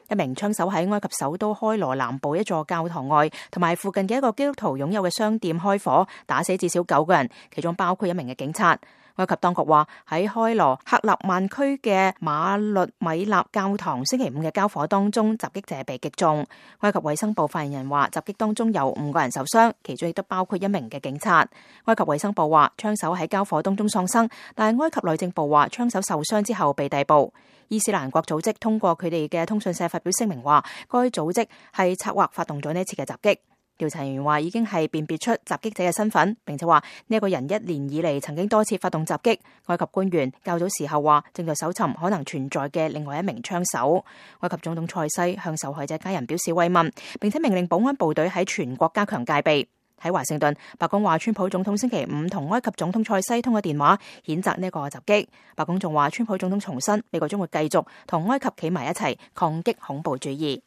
一名槍手喺埃及首都開羅南部一座教堂外同埋附近嘅一個基督徒擁有嘅商店開火，打死至少9個人，其中包括一名嘅警察。埃及當局話喺開羅克納曼區嘅馬律米納教堂星期5嘅交火當中，襲擊者被擊中。埃及衛生部發言人話，襲擊當中有5個人受傷，其中亦都包括一名嘅警察。埃及衛生部話，槍手喺交火當中喪生，但係埃及內政部話，槍手受傷之後被逮捕。伊斯蘭國組織通過佢哋嘅通訊社發表聲明話，該組織係策劃發動咗呢次嘅襲擊。調查人員話已經係辨別出襲擊者嘅身份，並且話呢個人1年以嚟曾經多次發動襲擊。埃及官員較早時候話正在搜尋可能存在嘅另外一名槍手。埃及總統塞西向受害者家人表示慰問，並且命令保安部隊喺全國加強戒備。喺華盛頓，白宮話川普總統星期5同埃及總統塞西通過電話，譴責呢個襲擊。白宮仲話川普總統重申美國將會繼續同埃及企埋一齊抗擊恐怖主義。